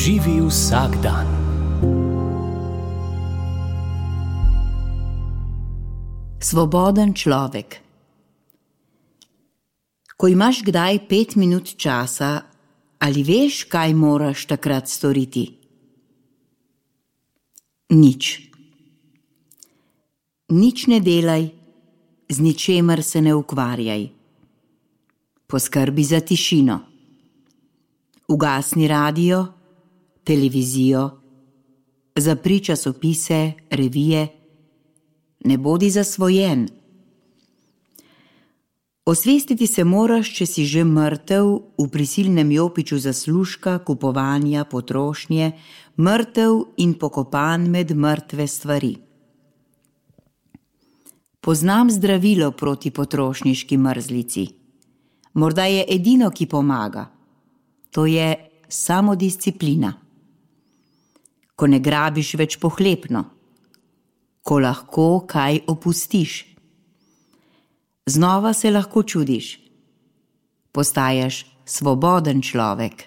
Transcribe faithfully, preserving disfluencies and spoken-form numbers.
Živi vsak dan. Svoboden človek. Ko imaš kdaj pet minut časa, ali veš, kaj moraš takrat storiti? Nič. Nič ne delaj, z ničemer se ne ukvarjaj. Poskrbi za tišino. Ugasni radio, televizijo, zapri časopise, revije. Ne bodi zasvojen. Osvestiti se moraš, če si že mrtev v prisilnem jopiču zaslužka, kupovanja, potrošnje, mrtev in pokopan med mrtve stvari. Poznam zdravilo proti potrošniški mrzlici. Morda je edino, ki pomaga. To je samodisciplina. Ko ne grabiš več pohlepno. Ko lahko kaj opustiš. Znova se lahko čudiš. Postajaš svoboden človek.